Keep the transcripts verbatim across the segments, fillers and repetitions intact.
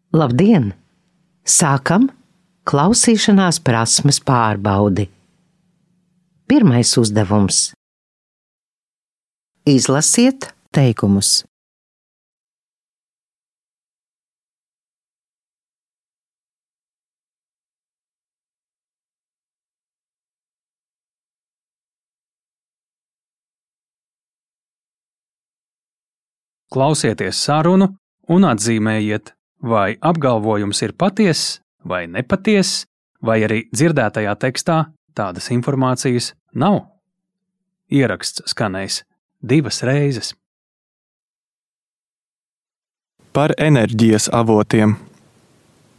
Labdien! Sākam klausīšanās prasmes pārbaudi. Pirmais uzdevums. Izlasiet teikumus. Klausieties sarunu un atzīmējiet, vai apgalvojums ir patiess vai nepatiess, vai arī dzirdētajā tekstā tādas informācijas nav. Ieraksts skanējis divas reizes. Par enerģijas avotiem.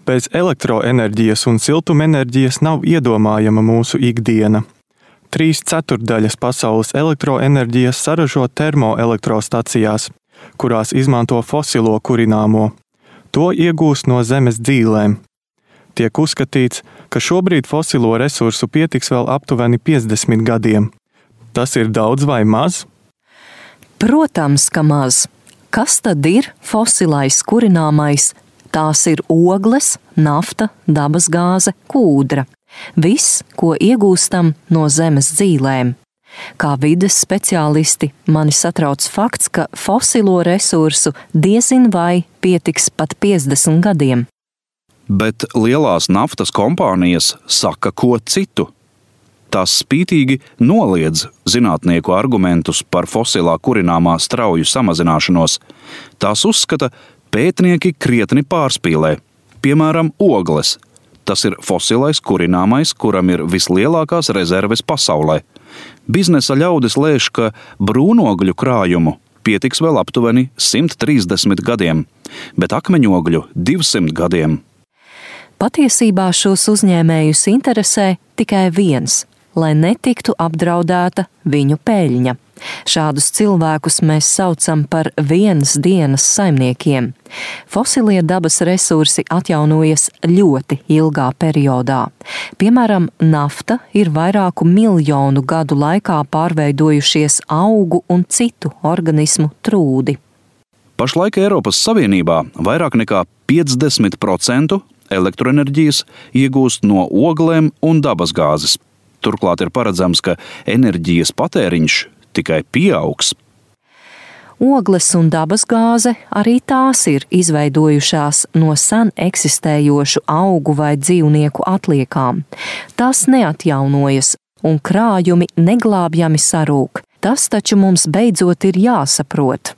Bez elektroenerģijas un siltumenerģijas nav iedomājama mūsu ikdiena. Trīs ceturtdaļas pasaules elektroenerģijas saražo termoelektrostacijās, kurās izmanto fosilo kurināmo. To iegūst no zemes dzīlēm. Tiek uzskatīts, ka šobrīd fosilo resursu pietiks vēl aptuveni piecdesmit gadiem. Tas ir daudz vai maz? Protams, ka maz. Kas tad ir fosilais kurināmais? Tās ir ogles, nafta, dabasgāze, kūdra. Viss, ko iegūstam no zemes dzīlēm. Kā vides speciālisti mani satrauc fakts, ka fosilo resursu diezin vai pietiks pat piecdesmit gadiem. Bet lielās naftas kompānijas saka ko citu. Tās spītīgi noliedz zinātnieku argumentus par fosilā kurināmā strauju samazināšanos. Tās uzskata, pētnieki krietni pārspīlē. Piemēram, ogles. Tas ir fosilais kurināmais, kuram ir vislielākās rezerves pasaulē. Biznesa ļaudis lēš, ka brūnogļu krājumu pietiks vēl aptuveni simt trīsdesmit gadiem, bet akmeņogļu divsimt gadiem. Patiesībā šos uzņēmējus interesē tikai viens, lai netiktu apdraudēta viņu peļņa. Šādus cilvēkus mēs saucam par vienas dienas saimniekiem. Fosilie dabas resursi atjaunojas ļoti ilgā periodā. Piemēram, nafta ir vairāku miljonu gadu laikā pārveidojušies augu un citu organismu trūdi. Pašlaik Eiropas Savienībā vairāk nekā piecdesmit procenti elektroenerģijas iegūst no oglēm un dabasgāzes. Turklāt ir paredzams, ka enerģijas patēriņš tikai pieaugs. Ogles un dabasgāze arī tās ir izveidojušās no sen eksistējošu augu vai dzīvnieku atliekām. Tās neatjaunojas un krājumi neglābjami sarūk. Tas taču mums beidzot ir jāsaprot.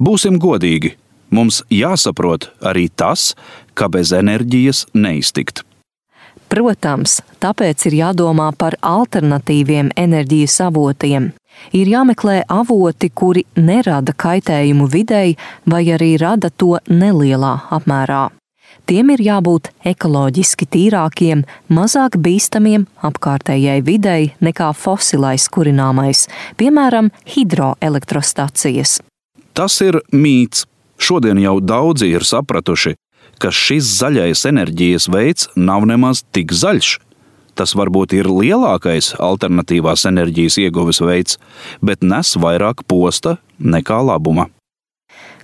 Būsim godīgi, mums jāsaprot arī tas, ka bez enerģijas neiztikt. Protams, tāpēc ir jādomā par alternatīviem enerģijas avotiem. Ir jāmeklē avoti, kuri nerada kaitējumu videi vai arī rada to nelielā apmērā. Tiem ir jābūt ekoloģiski tīrākiem, mazāk bīstamiem apkārtējai videi nekā fosilais kurināmais, piemēram, hidroelektrostacijas. Tas ir mīts. Šodien jau daudzi ir sapratuši, ka šis zaļais enerģijas veids nav nemaz tik zaļš. Tas varbūt ir lielākais alternatīvās enerģijas ieguves veids, bet nes vairāk posta nekā labuma.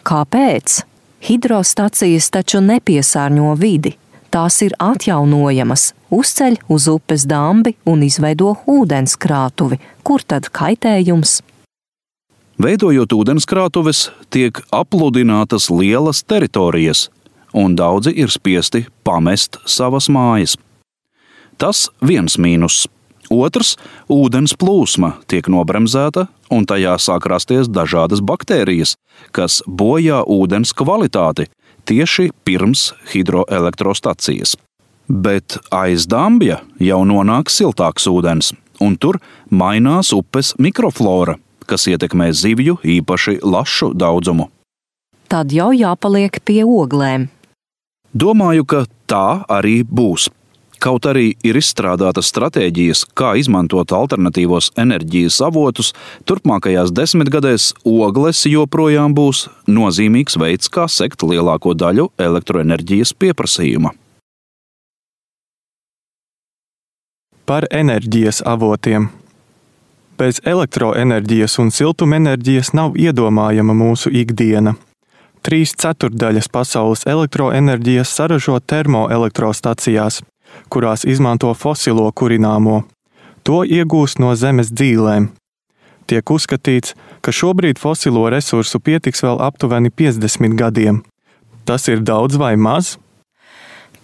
Kāpēc? Hidrostacijas taču nepiesārņo vidi. Tās ir atjaunojamas, uzceļ uz upes dambi un izveido ūdenskrātuvi. Kur tad kaitējums? Veidojot ūdenskrātuves, tiek apludinātas lielas teritorijas, un daudzi ir spiesti pamest savas mājas. Tas viens mīnus. Otrs – ūdens plūsma tiek nobremzēta, un tajā sāk rasties dažādas baktērijas, kas bojā ūdens kvalitāti tieši pirms hidroelektrostacijas. Bet aiz dambja jau nonāk siltāks ūdens, un tur mainās upes mikroflora, kas ietekmē zivju īpaši lašu daudzumu. Tad jau jāpaliek pie oglēm. Domāju, ka tā arī būs. Kaut arī ir izstrādātas stratēģijas, kā izmantot alternatīvos enerģijas avotus, turpmākajās desmitgadēs ogles joprojām būs nozīmīgs veids, kā sekt lielāko daļu elektroenerģijas pieprasījuma. Par enerģijas avotiem. Bez elektroenerģijas un siltumenerģijas nav iedomājama mūsu ikdiena. Trīs ceturtdaļas pasaules elektroenerģijas saražo termoelektrostacijās, kurās izmanto fosilo kurināmo. To iegūst no zemes dzīlēm. Tiek uzskatīts, ka šobrīd fosilo resursu pietiks vēl aptuveni piecdesmit gadiem. Tas ir daudz vai maz?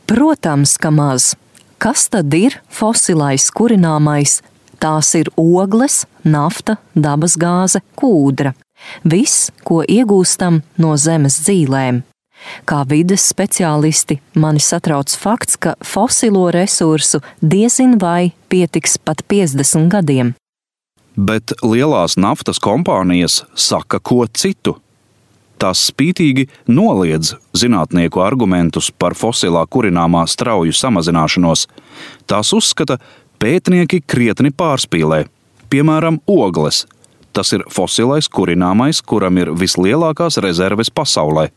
Protams, ka maz. Kas tad ir fosilais kurināmais? Tās ir ogles, nafta, dabasgāze, kūdra. Viss, ko iegūstam no zemes dzīlēm. Kā vides speciālisti mani satrauc fakts, ka fosilo resursu diezin vai pietiks pat piecdesmit gadiem. Bet lielās naftas kompānijas saka ko citu. Tās spītīgi noliedz zinātnieku argumentus par fosilā kurināmā strauju samazināšanos. Tās uzskata, pētnieki krietni pārspīlē. Piemēram, ogles. Tas ir fosilais kurināmais, kuram ir vislielākās rezerves pasaulē.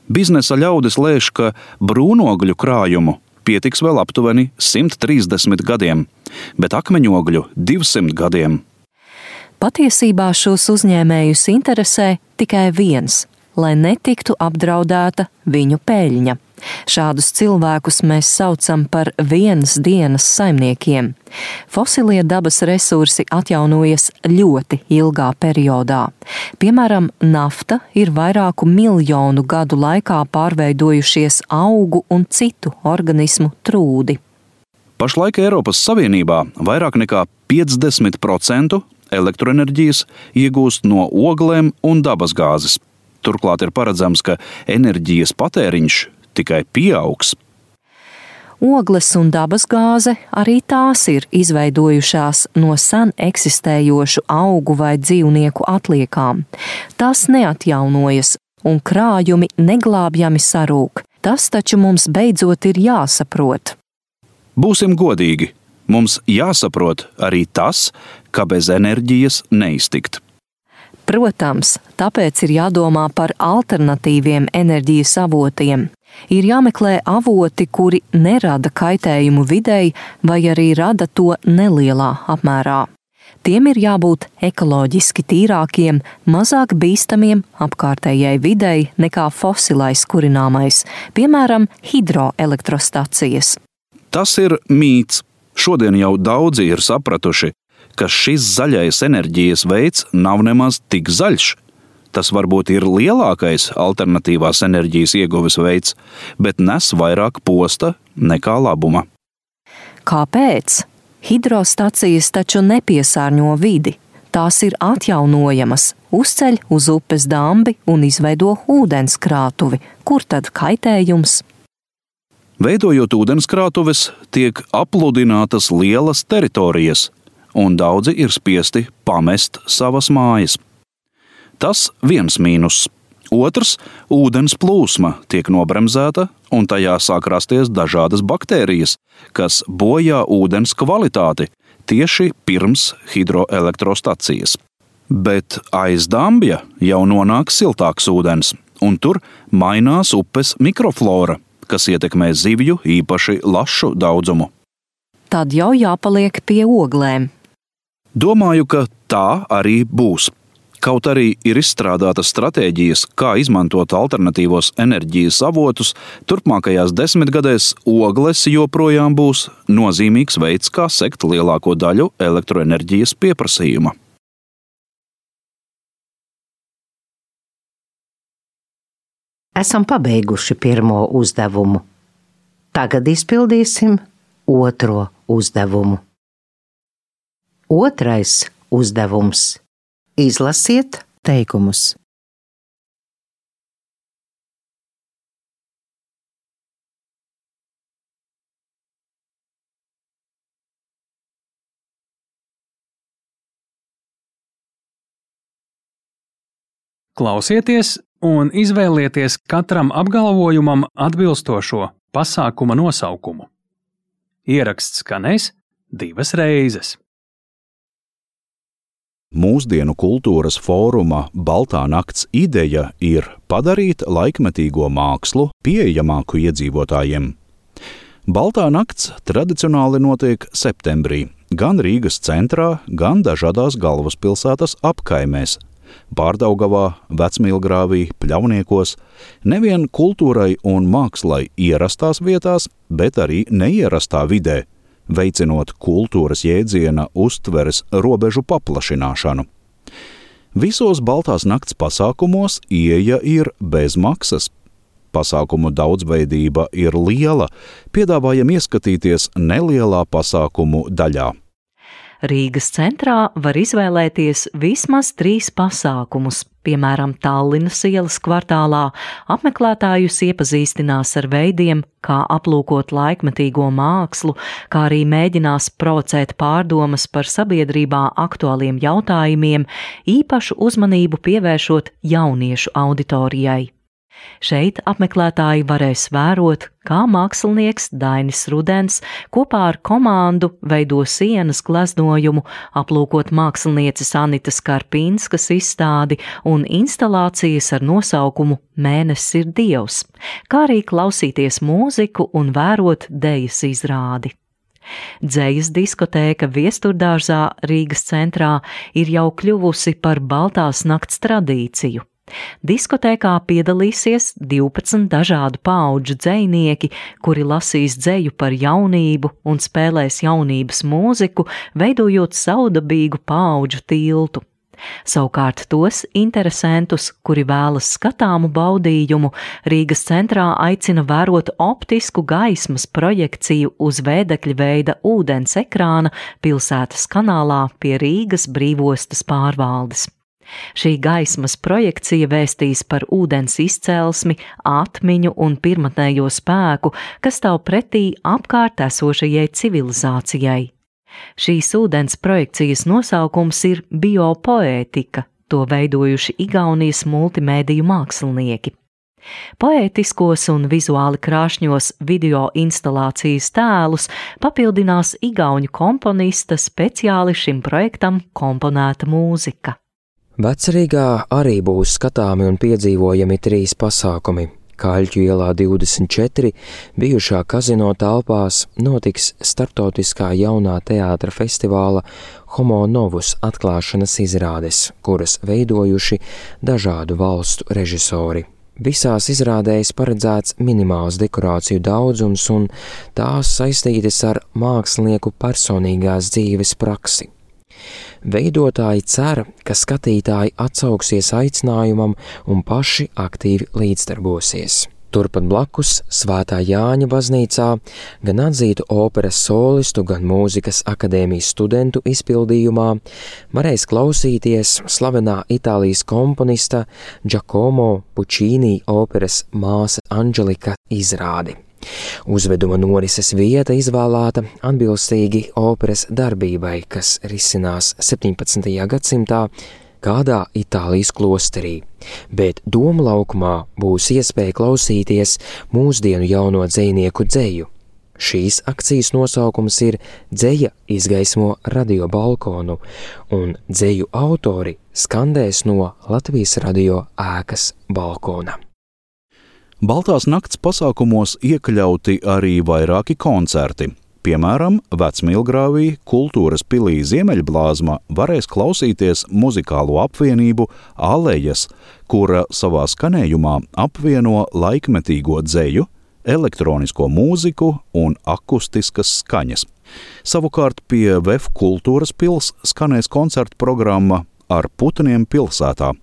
Biznesa ļaudis lēš, ka brūnogļu krājumu pietiks vēl aptuveni simt trīsdesmit gadiem, bet akmeņogļu divsimt gadiem. Patiesībā šos uzņēmējus interesē tikai viens – lai netiktu apdraudēta viņu peļņa. Šādus cilvēkus mēs saucam par vienas dienas saimniekiem. Fosilie dabas resursi atjaunojas ļoti ilgā periodā. Piemēram, nafta ir vairāku miljonu gadu laikā pārveidojušies augu un citu organismu trūdi. Pašlaik Eiropas Savienībā vairāk nekā piecdesmit procenti elektroenerģijas iegūst no oglēm un dabasgāzes. Turklāt ir paredzams, ka enerģijas patēriņš tikai pieaugs. Ogles un dabasgāze arī tās ir izveidojušās no sen eksistējošu augu vai dzīvnieku atliekām. Tās neatjaunojas un krājumi neglābjami sarūk. Tas taču mums beidzot ir jāsaprot. Būsim godīgi, mums jāsaprot arī tas, ka bez enerģijas neiztikt. Protams, tāpēc ir jādomā par alternatīviem enerģijas avotiem. Ir jāmeklē avoti, kuri nerada kaitējumu videi vai arī rada to nelielā apmērā. Tiem ir jābūt ekoloģiski tīrākiem, mazāk bīstamiem apkārtējai videi nekā fosilais kurināmais, piemēram, hidroelektrostacijas. Tas ir mīts. Šodien jau daudzi ir sapratuši, ka šis zaļais enerģijas veids nav nemaz tik zaļš. Tas varbūt ir lielākais alternatīvās enerģijas ieguves veids, bet nes vairāk posta nekā labuma. Kāpēc? Hidrostacijas taču nepiesārņo vidi. Tās ir atjaunojamas, uzceļ uz upes dambi un izveido ūdenskrātuvi. Kur tad kaitējums? Veidojot ūdenskrātuves, tiek apludinātas lielas teritorijas, un daudzi ir spiesti pamest savas mājas. Tas viens mīnus. Otrs – ūdens plūsma tiek nobremzēta, un tajā sāk rasties dažādas baktērijas, kas bojā ūdens kvalitāti tieši pirms hidroelektrostacijas. Bet aiz dambja jau nonāk siltāks ūdens, un tur mainās upes mikroflora, kas ietekmē zivju īpaši lašu daudzumu. Tad jau jāpaliek pie oglēm. Domāju, ka tā arī būs. Kaut arī ir izstrādātas stratēģijas, kā izmantot alternatīvos enerģijas avotus, turpmākajās desmitgadēs ogles joprojām būs nozīmīgs veids, kā sekt lielāko daļu elektroenerģijas pieprasījuma. Esam pabeiguši pirmo uzdevumu. Tagad izpildīsim otro uzdevumu. Otrais uzdevums. Izlasiet teikumus. Klausieties un izvēlieties katram apgalvojumam atbilstošo pasākuma nosaukumu. Ieraksts skanēs divas reizes. Mūsdienu kultūras fóruma Baltā nakts ideja ir padarīt laikmetīgo mākslu pieejamāku iedzīvotājiem. Baltā nakts tradicionāli notiek septembrī, gan Rīgas centrā, gan dažādās galvaspilsētas apkaimēs. Pārdaugavā, Vecmīlgrāvī, Pļauniekos, nevien kultūrai un mākslai ierastās vietās, bet arī neierastā vidē, veicinot kultūras jēdziena uztveres robežu paplašināšanu. Visos Baltās nakts pasākumos ieeja ir bez maksas. Pasākumu daudzveidība ir liela, piedāvājam ieskatīties nelielā pasākumu daļā. Rīgas centrā var izvēlēties vismaz trīs pasākumus. Piemēram, Tallinas ielas kvartālā apmeklētājus iepazīstinās ar veidiem, kā aplūkot laikmetīgo mākslu, kā arī mēģinās provocēt pārdomas par sabiedrībā aktuāliem jautājumiem, īpašu uzmanību pievēršot jauniešu auditorijai. Šeit apmeklētāji varēs vērot, kā mākslinieks Dainis Rudens kopā ar komandu veido sienas gleznojumu, aplūkot mākslinieces Anitas Karpinskas izstādi un instalācijas ar nosaukumu Mēnesis ir Dievs, kā arī klausīties mūziku un vērot dejas izrādi. Dzejas diskotēka Viesturdārzā Rīgas centrā ir jau kļuvusi par Baltās nakts tradīciju. Diskotēkā piedalīsies divpadsmit dažādu paudžu dzejnieki, kuri lasīs dzeju par jaunību un spēlēs jaunības mūziku, veidojot savdabīgu paudžu tiltu. Savukārt tos interesantus, kuri vēlas skatāmu baudījumu, Rīgas centrā aicina vērot optisku gaismas projekciju uz vēdekļa veida ūdens ekrāna pilsētas kanālā pie Rīgas brīvostas pārvaldes. Šī gaismas projekcija vēstīs par ūdens izcelsmi, atmiņu un pirmatnējo spēku, kas stāv pretī apkārt esošajai civilizācijai. Šīs ūdens projekcijas nosaukums ir biopoētika, to veidojuši Igaunijas multimēdiju mākslinieki. Poētiskos un vizuāli krāšņos video instalācijas tēlus papildinās igauņu komponista speciāli šim projektam komponēta mūzika. Vecrīgā arī būs skatāmi un piedzīvojami trīs pasākumi. Kaļķu ielā divdesmit četri bijušā kazino telpās notiks starptautiskā jaunā teātra festivāla Homo Novus atklāšanas izrādes, kuras veidojuši dažādu valstu režisori. Visās izrādēs paredzēts minimāls dekorāciju daudzums un tās saistītas ar mākslinieku personīgās dzīves praksi. Veidotāji cer, ka skatītāji atsauksies aicinājumam un paši aktīvi līdzdarbosies. Turpat blakus Svētā Jāņa baznīcā gan atzītu operas solistu, gan mūzikas akadēmijas studentu izpildījumā varēs klausīties slavenā Itālijas komponista Giacomo Puccini operas Māsa Anģelika izrādi. Uzveduma norises vieta izvēlēta atbilstīgi operas darbībai, kas risinās septiņpadsmitajā gadsimtā kādā Itālijas klosterī, bet Doma laukumā būs iespēja klausīties mūsdienu jauno dzejnieku dzeju. Šīs akcijas nosaukums ir Dzeja izgaismo radio balkonu, un dzeju autori skandēs no Latvijas radio ēkas balkona. Baltās nakts pasākumos iekļauti arī vairāki koncerti. Piemēram, Vecmīlgrāvī Kultūras pilī Ziemeļblāzma varēs klausīties muzikālo apvienību Alejas, kura savā skanējumā apvieno laikmetīgo dzeju, elektronisko mūziku un akustiskas skaņas. Savukārt pie V E F Kultūras pils skanēs koncertu programma Ar putniem pilsētā.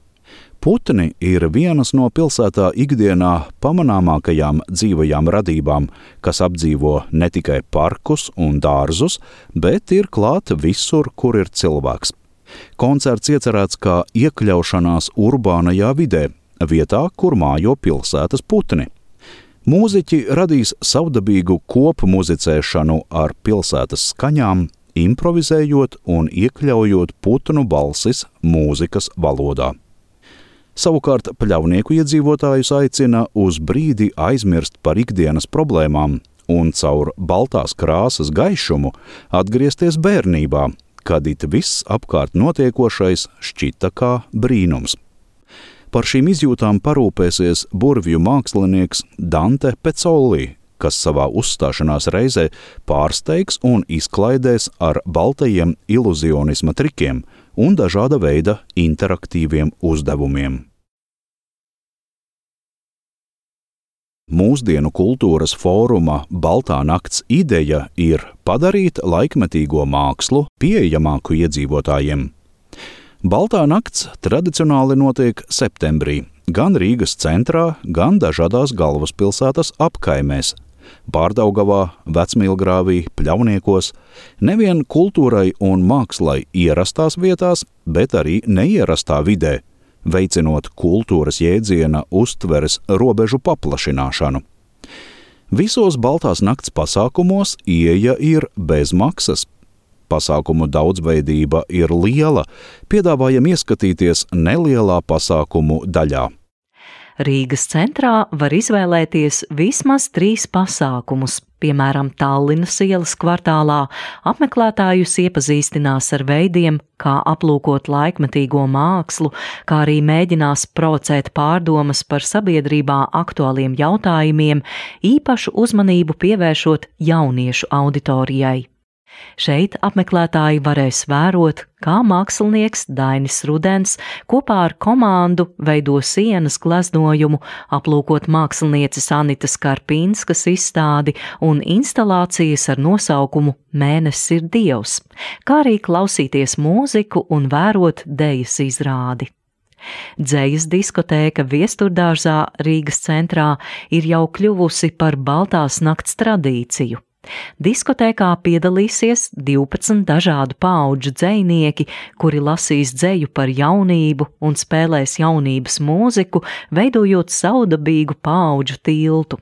Putni ir vienas no pilsētā ikdienā pamanāmākajām dzīvajām radībām, kas apdzīvo ne tikai parkus un dārzus, bet ir klāt visur, kur ir cilvēks. Koncerts iecerēts kā iekļaušanās urbānajā vidē, vietā, kur mājo pilsētas putni. Mūziķi radīs savdabīgu kopu muzicēšanu ar pilsētas skaņām, improvizējot un iekļaujot putnu balsis mūzikas valodā. Savukārt Pļavnieku iedzīvotājus aicina uz brīdi aizmirst par ikdienas problēmām un caur baltās krāsas gaišumu atgriezties bērnībā, kad it viss apkārt notiekošais šķita kā brīnums. Par šīm izjūtām parūpēsies burvju mākslinieks Dante Pecolli, kas savā uzstāšanās reizē pārsteigs un izklaidēs ar baltajiem iluzionisma trikiem un dažāda veida interaktīviem uzdevumiem. Mūsdienu kultūras fóruma Baltā nakts ideja ir padarīt laikmetīgo mākslu pieejamāku iedzīvotājiem. Baltā nakts tradicionāli notiek septembrī, gan Rīgas centrā, gan dažādās galvaspilsētas apkaimēs – Pārdaugavā, Vecmīlgrāvī, Pļauniekos, nevien kultūrai un mākslai ierastās vietās, bet arī neierastā vidē, veicinot kultūras jēdziena uztveres robežu paplašināšanu. Visos Baltās nakts pasākumos ieeja ir bez maksas. Pasākumu daudzveidība ir liela, piedāvājam ieskatīties nelielā pasākumu daļā. Rīgas centrā var izvēlēties vismaz trīs pasākumus. Piemēram, Tallinas ielas kvartālā apmeklētājus iepazīstinās ar veidiem, kā aplūkot laikmetīgo mākslu, kā arī mēģinās provocēt pārdomas par sabiedrībā aktuāliem jautājumiem, īpašu uzmanību pievēršot jauniešu auditorijai. Šeit apmeklētāji varēs vērot, kā mākslinieks Dainis Rudens kopā ar komandu veido sienas gleznojumu, aplūkot mākslinieces Anitas Karpinskas izstādi un instalācijas ar nosaukumu Mēnesis ir Dievs, kā arī klausīties mūziku un vērot dejas izrādi. Dzejas diskotēka Viesturdārzā Rīgas centrā ir jau kļuvusi par Baltās nakts tradīciju. Diskotēkā piedalīsies divpadsmit dažādu paudžu dzejnieki, kuri lasīs dzeju par jaunību un spēlēs jaunības mūziku, veidojot savdabīgu paudžu tiltu.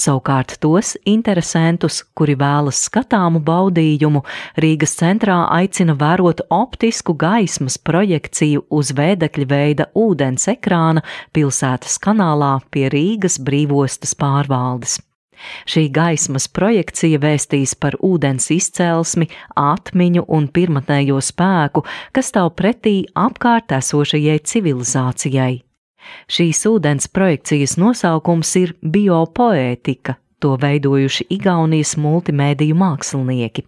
Savukārt tos interesantus, kuri vēlas skatāmu baudījumu, Rīgas centrā aicina vērot optisku gaismas projekciju uz vēdekļa veida ūdens ekrāna pilsētas kanālā pie Rīgas brīvostas pārvaldes. Šī gaismas projekcija vēstīs par ūdens izcelsmi, atmiņu un pirmatnējo spēku, kas stāv pretī apkārt esošajai civilizācijai. Šīs ūdens projekcijas nosaukums ir biopoētika, to veidojuši Igaunijas multimēdiju mākslinieki.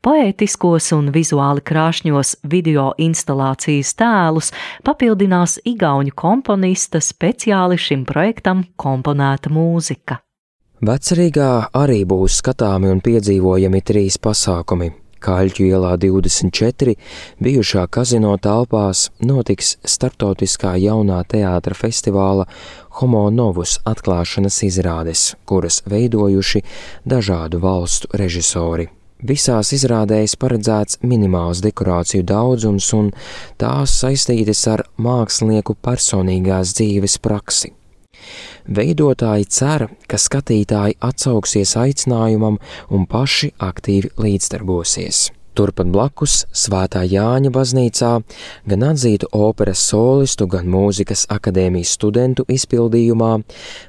Poētiskos un vizuāli krāšņos video instalācijas tēlus papildinās igauņu komponista speciāli šim projektam komponēta mūzika. Vecrīgā arī būs skatāmi un piedzīvojami trīs pasākumi. Kaļķu ielā divdesmit četri bijušā kazino telpās notiks starptautiskā jaunā teātra festivāla Homo Novus atklāšanas izrādes, kuras veidojuši dažādu valstu režisori. Visās izrādēs paredzēts minimāls dekorāciju daudzums un tās saistītas ar mākslinieku personīgās dzīves praksi. Veidotāji cer, ka skatītāji atsauksies aicinājumam un paši aktīvi līdzdarbosies. Turpat blakus Svētā Jāņa baznīcā gan atzītu operas solistu, gan mūzikas akadēmijas studentu izpildījumā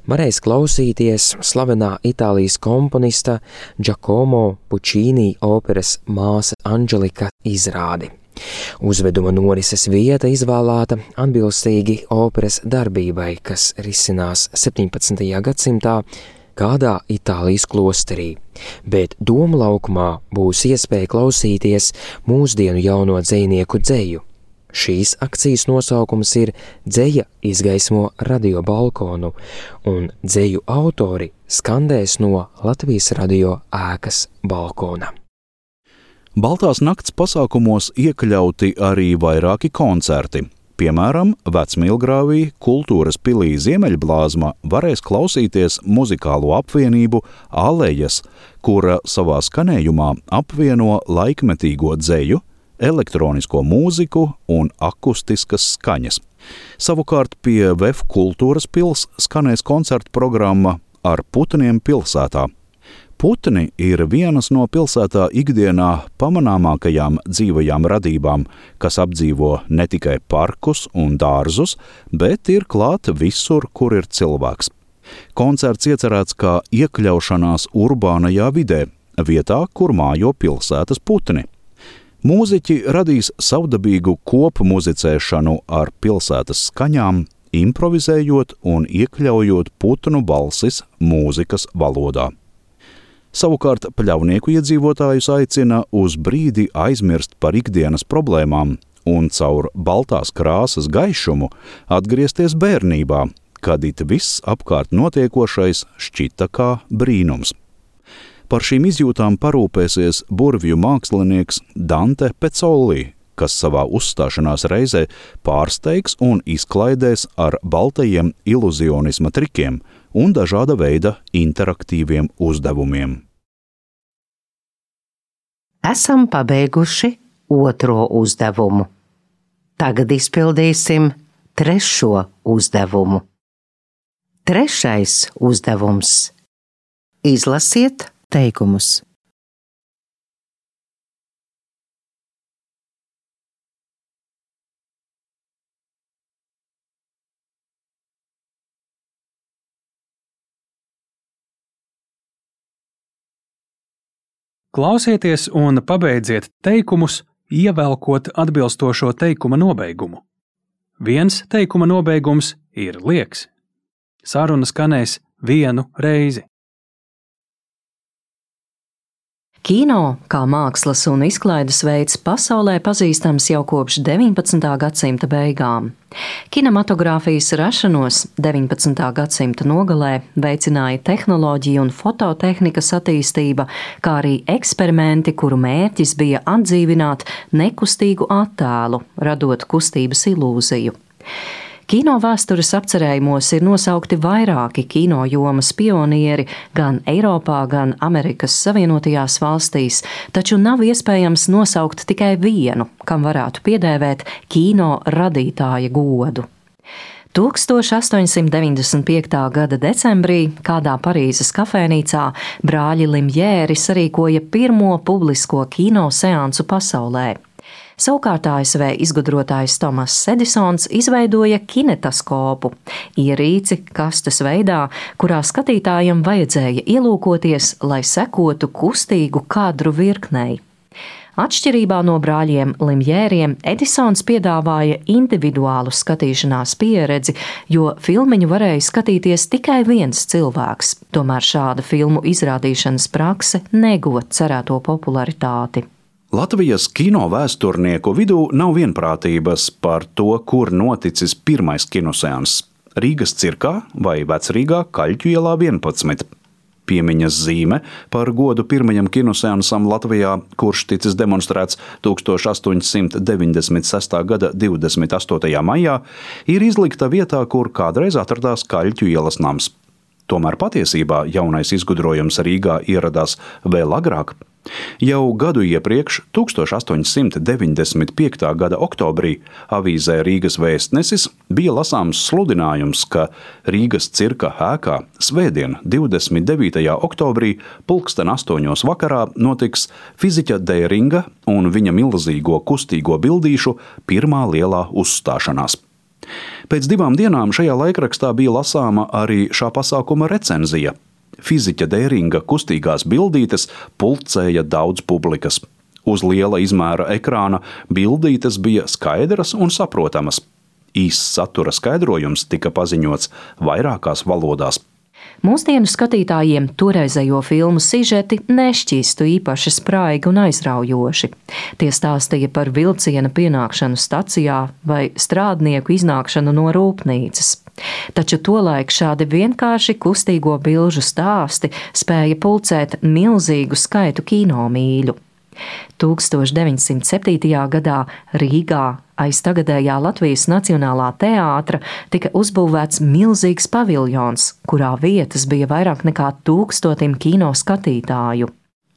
varēs klausīties slavenā Itālijas komponista Giacomo Puccini operas Māsa Anģelika izrādi. Uzveduma norises vieta izvēlēta atbilstīgi operas darbībai, kas risinās septiņpadsmitajā gadsimtā kādā Itālijas klosterī, bet Doma laukumā būs iespēja klausīties mūsdienu jauno dzejnieku dzeju. Šīs akcijas nosaukums ir Dzeja izgaismo radio balkonu, un dzeju autori skandēs no Latvijas radio ēkas balkona. Baltās nakts pasākumos iekļauti arī vairāki koncerti. Piemēram, Vecmīlgrāvī kultūras pilī Ziemeļblāzma varēs klausīties muzikālo apvienību Alejas, kura savā skanējumā apvieno laikmetīgo dzeju, elektronisko mūziku un akustiskas skaņas. Savukārt pie V E F kultūras pils skanēs koncertu programma Ar putniem pilsētā. Putni ir vienas no pilsētā ikdienā pamanāmākajām dzīvajām radībām, kas apdzīvo ne tikai parkus un dārzus, bet ir klāt visur, kur ir cilvēks. Koncerts iecerēts kā iekļaušanās urbānajā vidē, vietā, kur mājo pilsētas putni. Mūziķi radīs savdabīgu kopu muzicēšanu ar pilsētas skaņām, improvizējot un iekļaujot putnu balsis mūzikas valodā. Savukārt Pļaunieku iedzīvotājus aicina uz brīdi aizmirst par ikdienas problēmām un caur baltās krāsas gaišumu atgriezties bērnībā, kad it viss apkārt notiekošais šķita kā brīnums. Par šīm izjūtām parūpēsies burvju mākslinieks Dante Pezzoli, kas savā uzstāšanās reizē pārsteigs un izklaidēs ar baltajiem iluzionisma trikiem un dažāda veida interaktīviem uzdevumiem. Esam pabeiguši otro uzdevumu. Tagad izpildīsim trešo uzdevumu. Trešais uzdevums. Izlasiet teikumus. Klausieties un pabeidziet teikumus, ievelkot atbilstošo teikuma nobeigumu. Viens teikuma nobeigums ir liegs. Saruna skanēs vienu reizi. Kino, kā mākslas un izklaides veids, pasaulē pazīstams jau kopš deviņpadsmitā gadsimta beigām. Kinematogrāfijas rašanos deviņpadsmitā gadsimta nogalē veicināja tehnoloģija un fototehnikas attīstība, kā arī eksperimenti, kuru mērķis bija atdzīvināt nekustīgu attēlu, radot kustības ilūziju. Kino vēstures apcerējumos ir nosaukti vairāki kino jomas pionieri gan Eiropā, gan Amerikas Savienotajās valstīs, taču nav iespējams nosaukt tikai vienu, kam varētu piedēvēt kino radītāja godu. tuldstoš astoņsimt deviņdesmit piektā gada decembrī kādā Parīzes kafejnīcā brāļi Limjēri sarīkoja pirmo publisko kino seansu pasaulē. Savukārt A S V izgudrotājs Tomas Edisons izveidoja kinetoskopu, ierīci kastes veidā, kurā skatītājam vajadzēja ielūkoties, lai sekotu kustīgu kadru virknei. Atšķirībā no brāļiem Limjēriem, Edisons piedāvāja individuālu skatīšanās pieredzi, jo filmiņu varēja skatīties tikai viens cilvēks. Tomēr šāda filmu izrādīšanas prakse neguva cerēto popularitāti. Latvijas kino vēsturnieku vidū nav vienprātības par to, kur noticis pirmais kinoseanss – Rīgas cirkā vai Vecrīgā Kaļķu ielā vienpadsmit. Piemiņas zīme par godu pirmajam kinoseansam Latvijā, kurš ticis demonstrēts tuldstoš astoņsimt deviņdesmit sestā gada divdesmit astotajā maijā, ir izlikta vietā, kur kādreiz atradās Kaļķu ielas nams. Tomēr patiesībā jaunais izgudrojums Rīgā ieradās vēl agrāk. Jau gadu iepriekš, tuldstoš astoņsimt deviņdesmit piektā gada oktobrī, avīzē Rīgas Vēstnesis bija lasāms sludinājums, ka Rīgas cirka ēkā svētdien, divdesmit devītajā oktobrī, pulksten astoņos vakarā notiks fiziķa Dēringa un viņa milzīgo kustīgo bildīšu pirmā lielā uzstāšanās. Pēc divām dienām šajā laikrakstā bija lasāma arī šā pasākuma recenzija. Fiziķa Dēringa kustīgās bildītes pulcēja daudz publikas. Uz liela izmēra ekrāna bildītes bija skaidras un saprotamas. Īss satura skaidrojums tika paziņots vairākās valodās. Mūsdienu skatītājiem toreizējo filmu sižeti nešķīstu īpaši spraigi un aizraujoši. Tie stāstīja par vilciena pienākšanu stacijā vai strādnieku iznākšanu no rūpnīcas. Taču tolaik šādi vienkārši kustīgo bilžu stāsti spēja pulcēt milzīgu skaitu kinomīļu. tūkstoš deviņsimt septītajā gadā Rīgā aiz tagadējā Latvijas Nacionālā teātra tika uzbūvēts milzīgs paviljons, kurā vietas bija vairāk nekā tūkstotim kino skatītāju.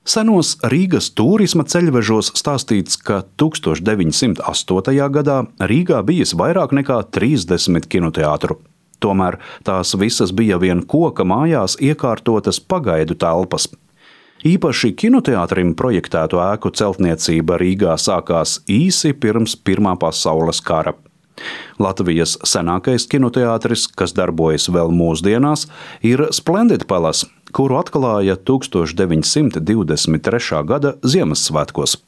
Senos Rīgas turisma ceļvežos stāstīts, ka tūkstoš deviņsimt astotajā gadā Rīgā bijis vairāk nekā trīsdesmit kinoteātru. Tomēr tās visas bija vien koka mājās iekārtotas pagaidu telpas. Īpaši kinoteātrim projektēto ēku celtniecība Rīgā sākās īsi pirms Pirmā pasaules kara. Latvijas senākais kinoteātris, kas darbojas vēl mūsdienās, ir Splendid Palace, kuru atklāja tūkstoš deviņsimt divdesmit trešā gada Ziemassvētkos.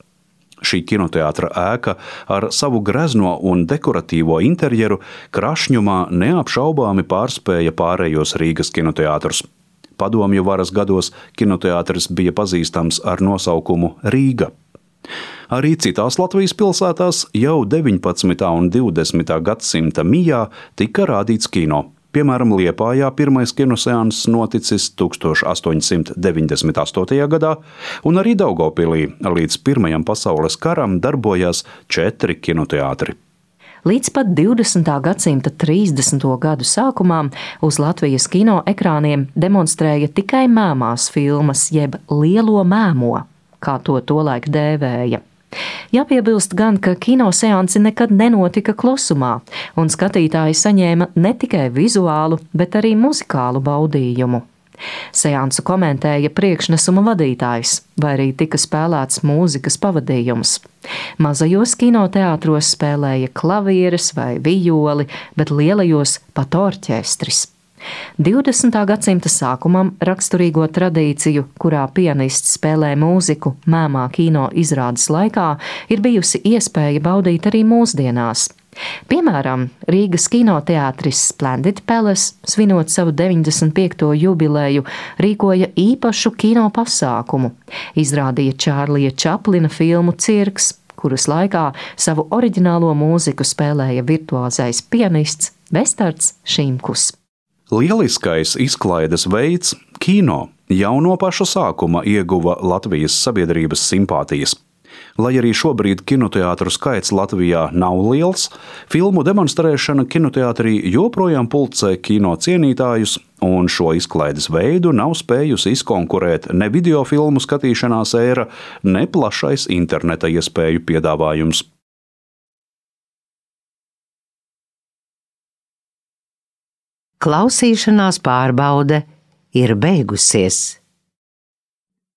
Šī kinoteātra ēka ar savu grezno un dekoratīvo interjeru krašņumā neapšaubāmi pārspēja pārējos Rīgas kinoteātrus. Padomju varas gados kinoteātris bija pazīstams ar nosaukumu Rīga. Arī citās Latvijas pilsētās jau deviņpadsmitā un divdesmitā gadsimta mijā tika rādīts kino. Piemēram, Liepājā pirmais kinoseanss noticis tukstāš astoņsimt deviņdesmit astotajā gadā, un arī Daugavpilī līdz Pirmajam pasaules karam darbojās četri kinoteātri. Līdz pat divdesmitā gadsimta trīsdesmito gadu sākumā uz Latvijas kino ekrāniem demonstrēja tikai mēmās filmas, jeb lielo mēmo, kā to tolaik dēvēja. Jāpiebilst gan, ka kinoseansi nekad nenotika klusumā, un skatītāji saņēma ne tikai vizuālu, bet arī muzikālu baudījumu. Seansu komentēja priekšnesuma vadītājs, vai arī tika spēlēts mūzikas pavadījums. Mazajos kinoteātros spēlēja klavieres vai vijoli, bet lielajos pat orķestris. divdesmitā gadsimta sākumam raksturīgo tradīciju, kurā pianists spēlē mūziku mēmā kino izrādes laikā, ir bijusi iespēja baudīt arī mūsdienās. Piemēram, Rīgas kinoteātris Splendid Palace, svinot savu deviņdesmit piekto jubileju, rīkoja īpašu kino pasākumu. Izrādīja Čārlija Čaplina filmu Cirks, kuras laikā savu oriģinālo mūziku spēlēja virtuozais pianists Vestards Šimkus. Lieliskais izklaides veids, kino, jau no paša sākuma ieguva Latvijas sabiedrības simpātijas. Lai arī šobrīd kinoteātru skaits Latvijā nav liels, filmu demonstrēšana kinoteātrī joprojām pulcē kino cienītājus, un šo izklaides veidu nav spējusi izkonkurēt ne videofilmu skatīšanās ēra, ne plašais interneta iespēju piedāvājums. Klausīšanās pārbaude ir beigusies.